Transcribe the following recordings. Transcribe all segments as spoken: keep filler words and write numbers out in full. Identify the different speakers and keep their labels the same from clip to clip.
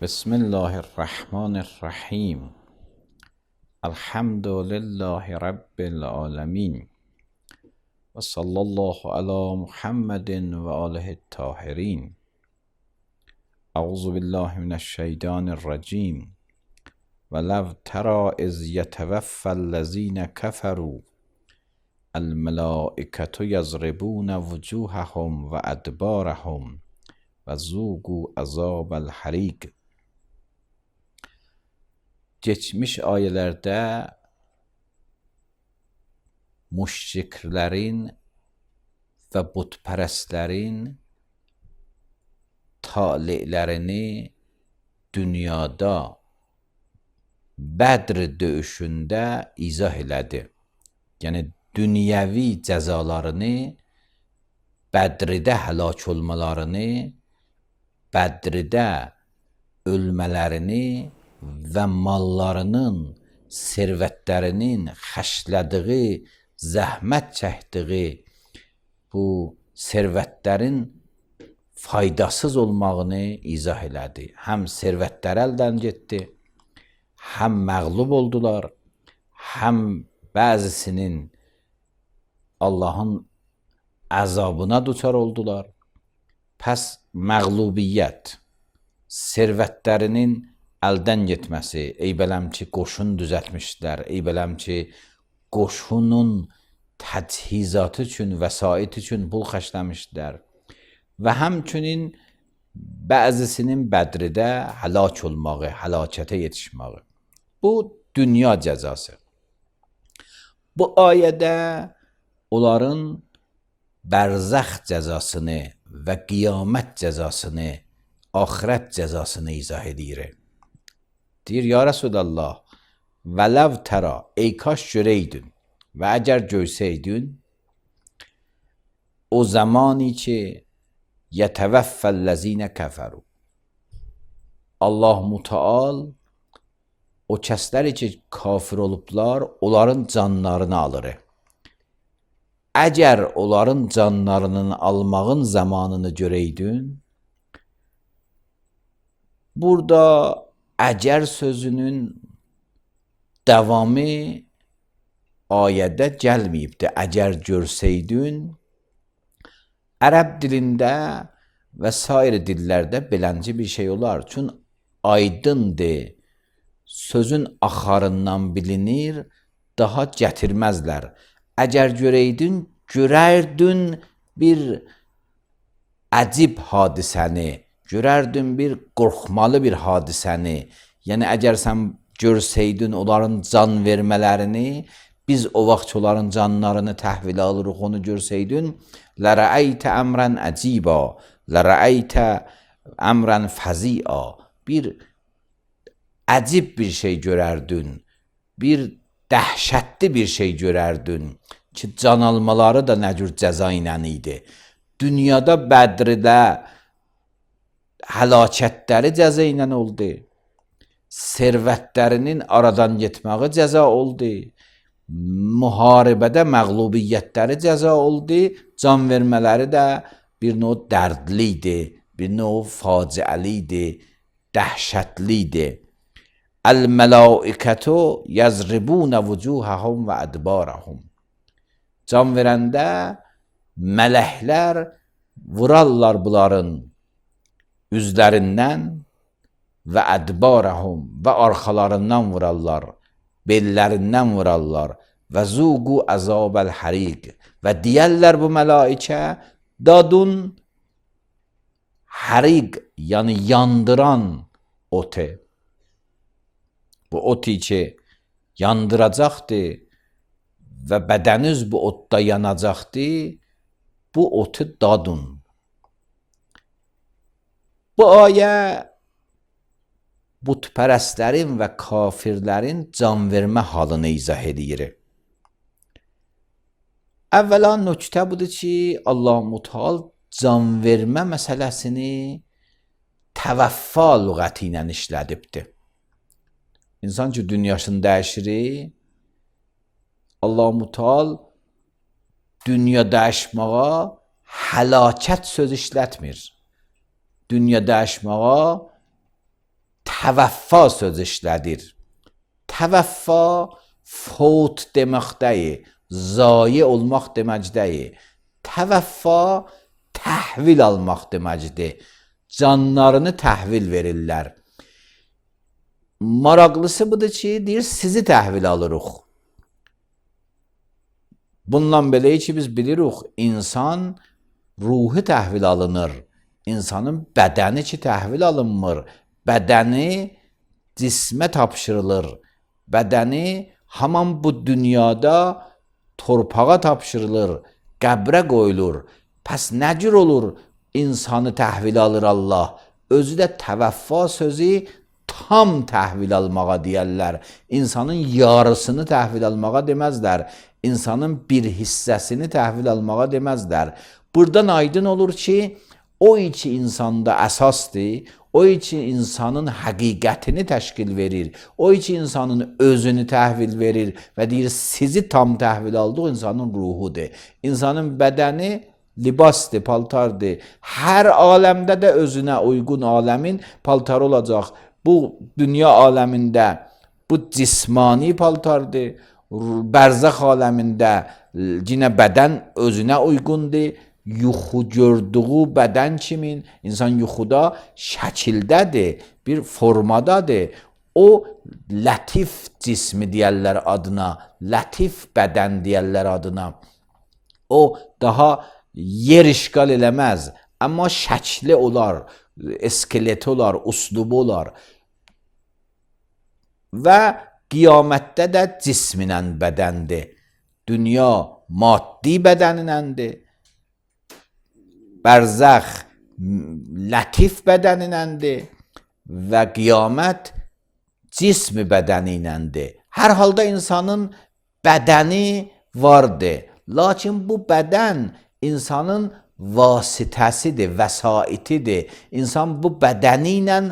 Speaker 1: بسم الله الرحمن الرحیم. الحمد لله رب العالمین و صلی الله علی محمد و آله الطاهرین. اعوذ بالله من الشیطان الرجیم. ولو تری اذ یتوفی الذین کفروا الملائکة یضربون وجوههم و ادبارهم و ذوقوا عذاب الحریق. Geçmiş ayələrdə müşriklərin və butpərəstlərin talelərini dünyada Bədr döyüşündə izah elədi. Yəni dünyəvi cəzalarını, Bədrdə həlak olmalarını, Bədrdə ölmələrini və mallarının, servətlərinin xərclədiyi, zəhmət çəkdiyi bu servətlərin faydasız olmağını izah elədi. Həm servətlər əldən getdi, həm məğlub oldular, həm bəzisinin Allahın əzabına duçar oldular. Pəs məğlubiyyət, servətlərinin əldən getməsi, eybələm ki, qoşun düzəltmişdilər, eybələm ki, qoşunun təchizatı üçün, vəsait üçün pul xərcləmişdilər və həmçinin bəzisinin Bədrdə həlak olmağı, həlakətə yetişməyi. Bu, dünya cəzası. Bu ayədə onların bərzəx cəzasını və qiyamət cəzasını, axirət cəzasını izah edir. Deyir, ya Resulallah, vələv tərə, ey kaş görəydin və əgər görsəydin, o zamani ki, yətəvəffəl-ləzinə kəfəru. Allah Müteal o kəsləri ki, kafir olublar, onların canlarını alır. Əgər onların canlarının almağın zamanını görəydin, burada əgər sözünün davamı ayədə gəlməyibdir. Əgər görsəydin, ərəb dilində və sair dillərdə belənci bir şey olar. Çün aydındır, sözün axarından bilinir, daha gətirməzlər. Əgər görəydin, görərdin bir əcib hadisəni, görərdin bir qorxmalı bir hadisəni. Yəni, əgər sən görsəydin onların can vermələrini, biz o vaxt onların canlarını təhvil alırıq, onu görsəydin, lərəəytə əmrən əcibə, lərəəytə əmrən fəziə. Bir əcib bir şey görərdin, bir dəhşətli bir şey görərdin ki, can almaları da nə cür cəza ilə idi. Dünyada Bədrdə həlakətləri cəza ilə oldu. Servətlərinin aradan getməyi cəza oldu. Müharibədə məğlubiyyətləri cəza oldu. Can vermələri də bir növ dərdli idi, bir növ faciəli idi, dəhşətli idi. Əl-mələikətü yəzribunə vücuhəhum və ədbarəhum. Can verəndə mələklər vurarlar bunların üzlərindən və ədbarəhum və arxalarından vurarlar, bellərindən vurarlar və zuqu əzabəl həriq və deyərlər bu mələikə dadun həriq, yəni yandıran otu. Bu otu ki yandıracaqdır və bədəniz bu otda yanacaqdır, bu otu dadun. Bu ayə butpərəstlərin və kafirlərin can vermə halını izah edir. Əvvəla nöqtə budur ki, Allah Müteal can vermə məsələsini təvəffa lüğəti ilə işlədibdir. İnsan ki, dünyasını dəyişir, Allah Müteal dünya dəyişməyə həlakət söz işlətmir. Dünya dəyişməyə təvəffa söz işlədir. Təvəffa fot demək deyil, zayi olmaq demək deyil. Təvəffa təhvil almaq deməkdir. Canlarını təhvil verirlər. Maraqlısı budur ki, deyir, sizi təhvil alırıq. Bundan belə ki, biz bilirik, insan ruhu təhvil alınır. İnsanın bədəni ki, təhvil alınmır. Bədəni cismə tapşırılır. Bədəni haman bu dünyada torpağa tapşırılır, qəbrə qoyulur. Pəs nə cür olur insanı təhvil alır Allah? Özü də təvəffa sözü tam təhvil almağa deyərlər. İnsanın yarısını təhvil almağa deməzlər. İnsanın bir hissəsini təhvil almağa deməzlər. Buradan aydın olur ki, o iki insanda əsasdır, o iki insanın həqiqətini təşkil verir, o iki insanın özünü təhvil verir və deyir, sizi tam təhvil aldıq insanın ruhudur. İnsanın bədəni libasdır, paltardır. Hər aləmdə də özünə uyğun aləmin paltarı olacaq. Bu dünya aləmində bu cismani paltardır. Bərzəx aləmində yenə bədən özünə uyğundur. Yuxu gördüyü bədən kimin? İnsan yuxuda şəkildədir, bir formadadır. O lətif cismi deyərlər adına, lətif bədən deyərlər adına. O daha yer işgal eləməz, amma şəkli olar, iskeleti olar, uslubu olar. Və qiyamətdə də cisminlə bədəndir. Dünya maddi bədəninəndir. Bərzəx lətif bədəninəndir və qiyamət cismi bədəninəndir. Hər halda insanın bədəni vardır. Lakin bu bədən insanın vasitəsidir, vəsaitidir. İnsan bu bədəni ilə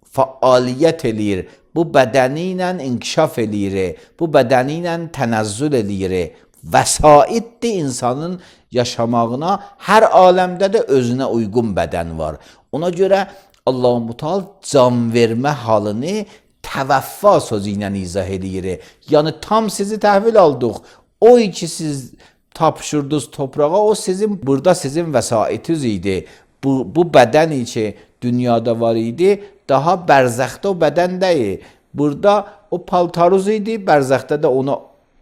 Speaker 1: fəaliyyət eləyir. Bu bədəni ilə inkişaf eləyir. Bu bədəni ilə tənəzzül eləyir. Vəsaitdir insanın yaşamağına. Hər aləmdə də özünə uyğun bədən var. Ona görə Allah-u Teala can vermə halını təvəffa sözü ilə izah eləyir. Yəni tam sizi təhvil aldıq. O iki siz tapşırdınız toprağa, o sizin burada sizin vəsaitiniz idi. Bu, bu bədən ki dünyada var idi, daha bərzəxdə o bədən deyil. Burada o paltaruz idi, bərzəxdə də ona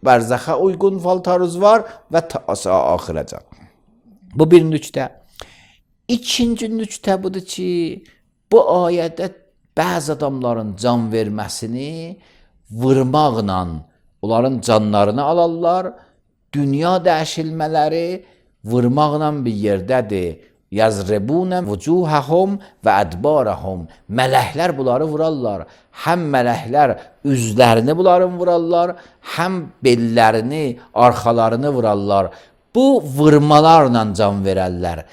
Speaker 1: bərzəxə uyğun paltaruz var və ta axirəcə. Bu bir nüktə. İkinci nüktə budur ki, bu ayədə bəzi adamların can verməsini vurmaqla onların canlarını alarlar. Dünya dəyişilmələri vurmaqla bir yerdədir. Yazribunə vucuhəhum və ədbarəhum. Mələklər bunları vurarlar. Həm mələklər üzlərini bunların vurarlar, həm bellərini, arxalarını vurarlar. Bu vurmalarla can verərlər.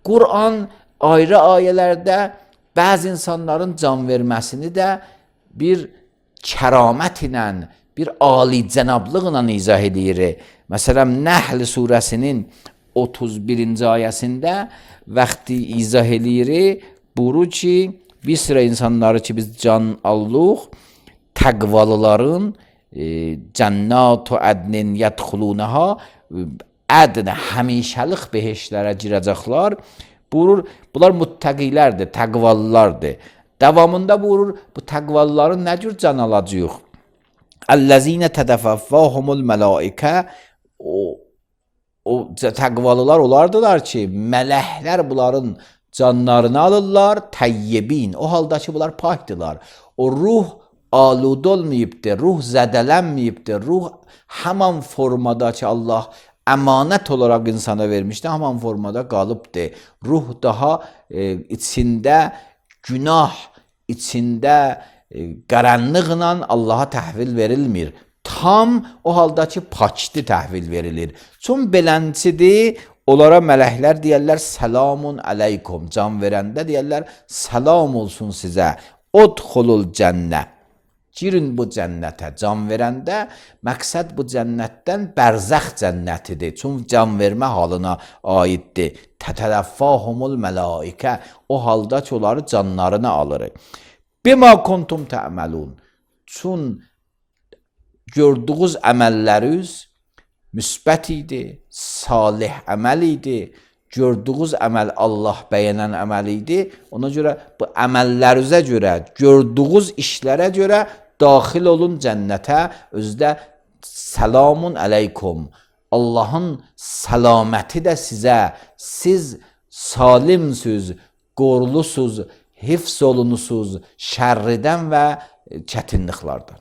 Speaker 1: Quran ayrı ayələrdə bəzi insanların can verməsini də bir kəramət ilə, bir alicənablıqla izah edir. Məsələn, Nəhl surəsinin otuz birinci ayəsində vaxtı izah edir, buyurur ki, bir sıra insanları ki biz can allıq, təqvalıların e, cənnat-u ədnin yədxulunəha, ədnə həmişəlik behişlərə girəcəklər. Buyurur, bunlar muttəqilərdir, təqvalılardır. Davamında buyurur, bu təqvalıların nə cür can alacaq? Əl-ləzinə tədəfəffəhumul mələikə, o, o təqvalılar olardılar ki, mələklər bunların canlarını alırlar, təyyibin. O halda ki, bunlar pakdılar. O ruh alud olmayıbdır, ruh zədələnməyibdir, ruh həman formada ki, Allah əmanət olaraq insana vermişdi, həman formada qalıbdır. Ruh daha e, içində günah, içində e, qaranlıqla Allaha təhvil verilmir. Tam o halda ki, pakdı təhvil verilir. Çün belənçidir, onlara mələklər deyərlər, selamun aleykum. Can verəndə deyərlər, salam olsun sizə. Udxulul cənnə. Girin bu cənnətə. Can verəndə məqsəd bu cənnətdən bərzəx cənnətidir. Çün can vermə halına aiddir. Tətələffahumul mələikə. O halda ki, onları canlarını alır. Bima kuntum ta'malun. Çün gördüğünüz əməlləriniz müsbət idi, salih əməl idi. Gördüğünüz əməl Allah bəyənən əməl idi. Ona görə bu əməllərinizə görə, gördüğünüz işlərə görə daxil olun cənnətə. Özdə selamun aleykum. Allahın salaməti də sizə. Siz salimsiniz, qorlusunuz, hifz olunusuz şərridən və çətinliklərdən.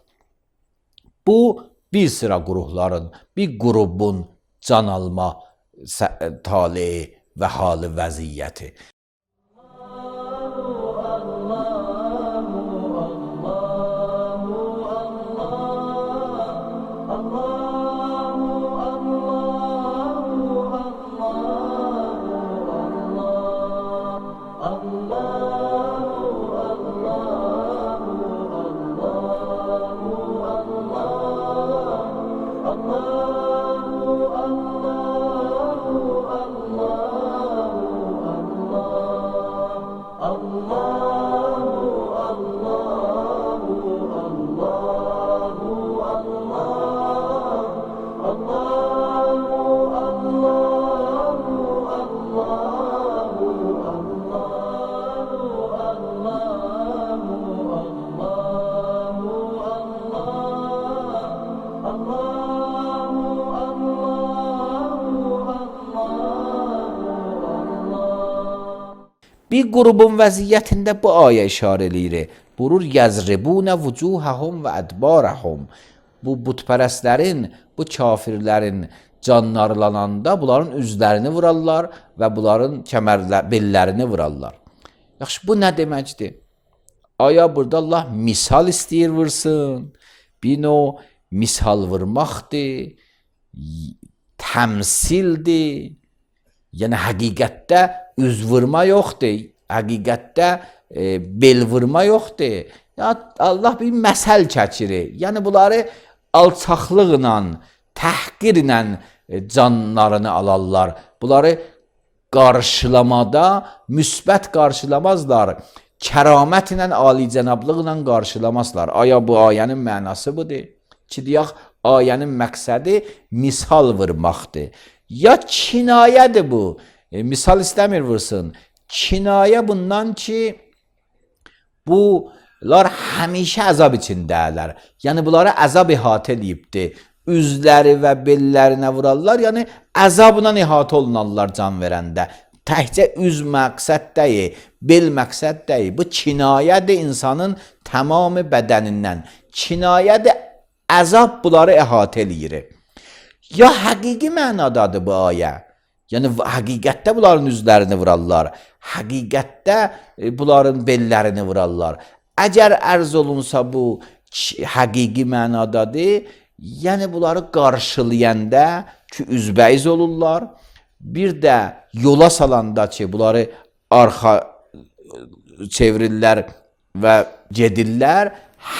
Speaker 1: Bu bir sıra qurumların, bir qrubun can alma taleyi və halı vəziyyəti. Bir qrubun vəziyyətində bu ayə işarə eləyir. Burur yazribuna vucuhahum və adbarahum. Bu butpərəstlərin, bu kafirlərin canlarlananda bunların üzlərini vurarlar və bunların kəmərlə bellərini vurarlar. Yaxşı, bu nə deməkdir? Aya burada Allah misal istəyir vursun. Bir növ misal vurmaqdır, təmsildir. Yəni həqiqətdə üz vurma yoxdur, həqiqətdə e, bel vurma yoxdur. Ya Allah bir məsəl çəkir. Yəni bunları alçaqlıqla, təhqirlə e, canlarını alarlar. Bunları qarşılamada müsbət qarşılamazlar. Kəramətlə, alicənablıqla qarşılamazlar. Aya bu ayənin mənası budur. Ki deyək, ayənin məqsədi misal vurmaqdır. Ya kinayədir bu. E, misal istəmir vursun. Kinayə bundan ki, bunlar həmişə əzab içindələr. Yəni bunları əzab ihatə edibdir. Üzləri və bellərinə vurarlar. Yəni əzabla ihatə olunarlar can verəndə. Təkcə üz məqsəd deyil, bel məqsəd deyil. Bu kinayədir insanın tamamı bədənindən. Kinayədir, əzab bunları ihatə eləyir. Ya həqiqi mənadadır bu ayə. Yəni həqiqətdə bunların üzlərini vurarlar. Həqiqətdə bunların bellərini vurarlar. Əgər ərz olunsa bu həqiqi mənadadır, yəni bunları qarşılayanda ki üzbəyiz olurlar. Bir də yola salanda ki bunları arxa çevirirlər və gedirlər.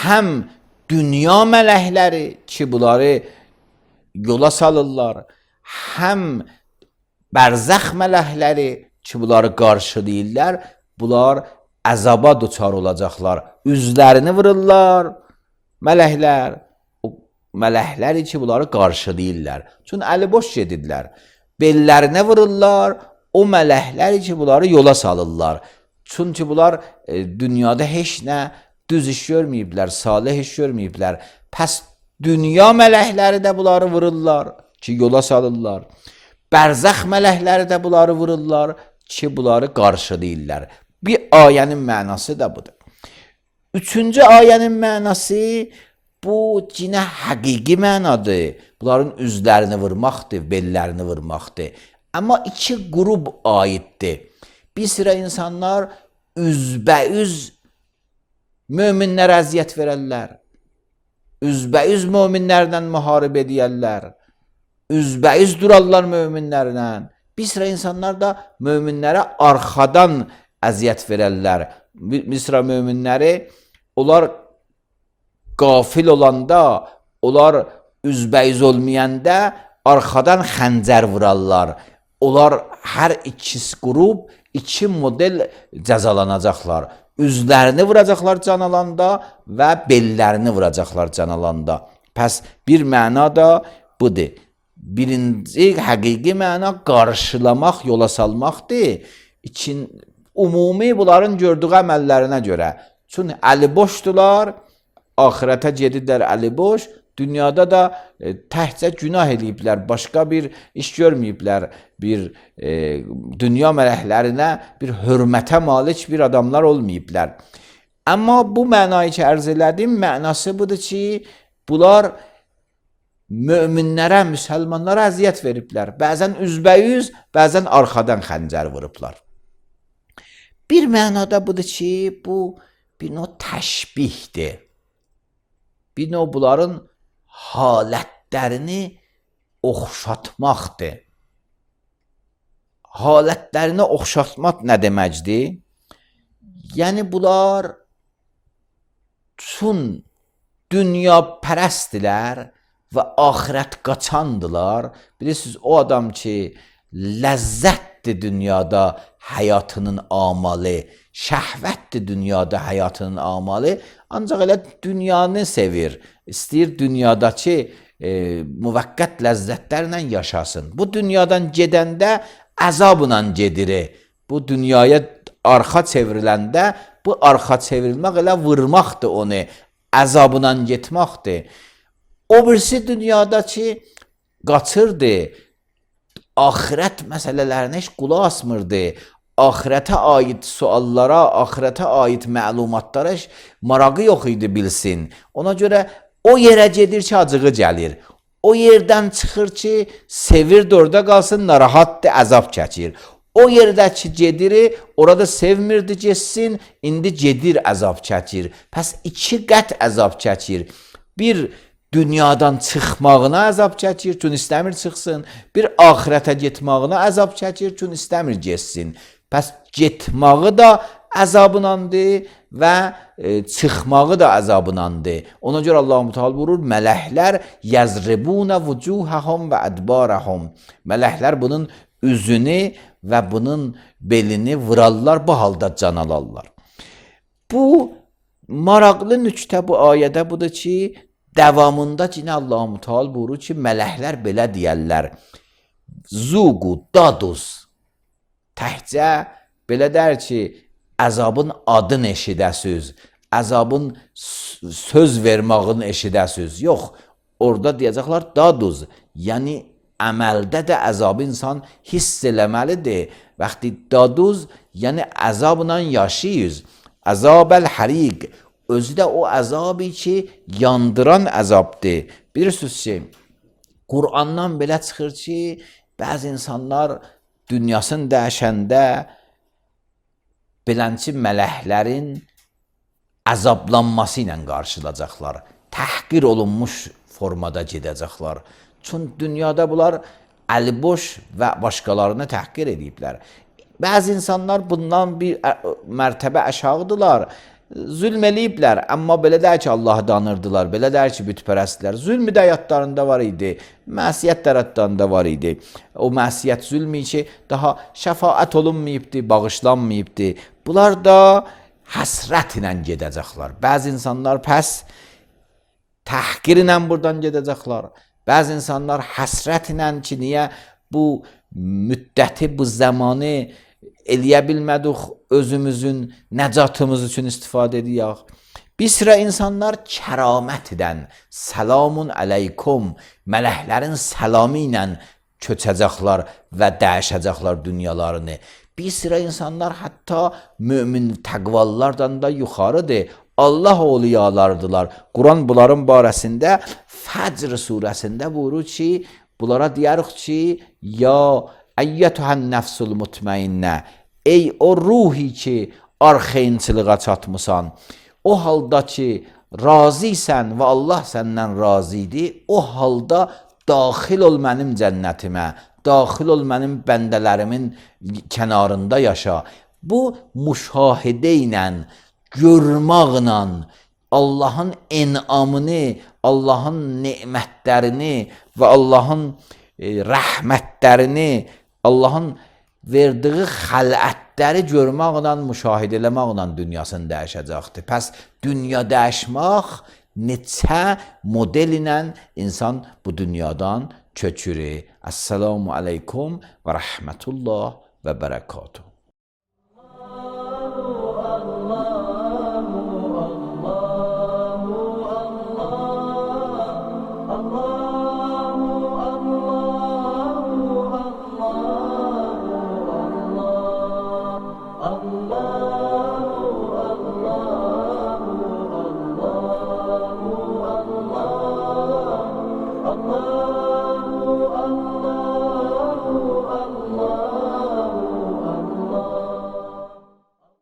Speaker 1: Həm dünya mələkləri ki bunları yola salırlar, həm bərzəx mələkləri ki bunları qarşılayırlar, bunlar əzaba duçar olacaqlar. Üzlərini vururlar mələklər, o mələkləri ki bunları qarşılayırlar. Çünki əli boş gedirlər. Bellərinə vururlar, o mələkləri ki bunları yola salırlar. Çünki bunlar e, dünyada heç nə düz iş görməyiblər, salih iş görməyiblər. Pəs dünya mələkləri də bunları vururlar ki yola salırlar. Bərzəx mələkləri də bunları vururlar ki bunları qarşılayırlar. Bir ayənin mənası da budur. Üçüncü ayənin mənası bu cinə həqiqi mənadır. Bunların üzlərini vurmaqdır, bellərini vurmaqdır. Amma iki qrup aiddir. Bir sıra insanlar üzbəüz möminlərə əziyyət verərlər. Üzbəüz möminlərlə müharibə edərlər. Üzbəüz durarlar möminlərlə. Bir sıra insanlar da möminlərə arxadan əziyyət verərlər. Bir sıra möminləri onlar qafil olanda, onlar üzbəüz olmayanda arxadan xəncər vurarlar. Onlar hər ikisi qrup iki model cəzalanacaqlar. üzlərini vuracaqlar can alanda və bellərini vuracaqlar can alanda. Pəs bir məna da budur. Birinci həqiqi məna qarşılamaq, yola salmaqdır. İkin, ümumi bunların gördüyü əməllərinə görə. Çünki əliboşdular, axirətə gedirlər əliboş, dünyada da e, təhcə günah eləyiblər, başqa bir iş görməyiblər, bir e, dünya mələklərinə bir hörmətə malik bir adamlar olmayıblər. Amma bu mənayı ki, ərz elədim, mənası budur ki, bunlar möminlərə, müsəlmanlara əziyyət veriblər. Bəzən üzbəyüz, bəzən arxadan xəncər vurublar. Bir mənada budur ki, bu bir növ təşbihdir. Bir növ bunların halətlərini oxşatmaqdır. Halətlərini oxşatmaq nə deməkdir? Yəni bunlar çün dünya pərəstdilər və axirət qaçandılar. Bilirsiniz, o adam ki, ləzzətdir dünyada həyatının amalı, şəhvətdir dünyada həyatının amalı, ancaq elə dünyanı sevir. İstəyir dünyadakı e, müvəqqət ləzzətlərlə yaşasın. Bu dünyadan gedəndə əzabla gedir. Bu dünyaya arxa çevriləndə, bu arxa çevrilmək elə vurmaqdır onu, əzabla getməkdir. O birisi dünyada ki, qaçırdı, axirət məsələlərinə heç qulaq asmırdı, axirətə aid suallara, axirətə aid məlumatlara heç marağı yox idi bilsin. Ona görə o yerə gedir ki, acığı gəlir. O yerdən çıxır ki, sevir də orada qalsın, narahatdır, əzab çəkir. O yerdə ki, gedir, orada sevmirdi getsin, indi gedir, əzab çəkir. Pəs iki qət əzab çəkir. Bir dünyadan çıxmağına əzab çəkir, çünki istəmir çıxsın. Bir axirətə getmağına əzab çəkir, çünki istəmir getsin. Pəs getməyi də əzabınandır və e, çıxmağı da əzabınandır. Ona görə Allah-u Teala buyurur, mələklər yəzribunə vucuhəhum və ədbarəhum. Mələklər bunun üzünü və bunun belini vurarlar, bu halda can alarlar. Bu maraqlı nüktə bu ayədə budur ki, davamında yine Allah-u Teala buyurur ki, mələklər belə deyərlər, zuqu daduz. Təhcə belə der ki, əzabın adını eşidəsiz, əzabın söz vermağını eşidəsiz. Yox, orada deyəcəklər daduz. Yəni əməldə də əzabı insan hiss eləməlidir. Vaxtı daduz, yəni əzabla yaşayız. Əzabəl həriq. Özü də o əzabı ki, yandıran əzabdır. Bilirsiniz ki, Qur'andan belə çıxır ki, bəzi insanlar dünyasını dəyişəndə belənçi mələklərin əzablanması ilə qarşılayacaqlar. Təhqir olunmuş formada gedəcəklər. Çünki dünyada bunlar əliboş və başqalarını təhqir ediblər. Bəzi insanlar bundan bir mərtəbə aşağıdılar. Zülm eləyiblər, amma belə deyək ki, Allahı danırdılar, belə deyək ki, bütpərəstlər. Zülmü də həyatlarında var idi, məsiyyət tərəflərində var idi. O məsiyyət zülmü ki, daha şəfaət olunmayıbdı, bağışlanmayıbdı. Bunlar da həsrət ilə gedəcəklər. Bəzi insanlar pəs təhqir ilə buradan gedəcəklər. Bəzi insanlar həsrət ilə ki, niyə bu müddəti, bu zamanı eləyə bilmədik, özümüzün nəcatımız üçün istifadə ediyək. Bir sıra insanlar kəramətdən, salamun aleykum, mələklərin salamı ilə köçəcəklər və dəyişəcəklər dünyalarını. Bir sıra insanlar hətta mömin təqvallardan da yuxarıdır. Allah oliyalardılar. Quran bunların barəsində Fəcr surəsində buyurur ki, bunlara deyirik ki, ya əyyətühən nəfsul mutmainnə, ey o ruhi ki, arxeyinçılığa çatmısan, o halda ki, razıysən və Allah səndən razıdır, o halda daxil ol mənim cənnətimə, daxil ol mənim bəndələrimin kənarında yaşa. Bu müşahidə ilə, görməklə, Allahın enamını, Allahın nemətlərini və Allahın e, rəhmətlərini, Allahın verdiyi xələtləri görməklə, müşahidə eləməklə dünyasını dəyişəcəkdir. Pəs dünya dəyişmək neçə model ilə insan bu dünyadan köçürür. Əssalamu aleykum və rəhmətullah və bərəkatuhu.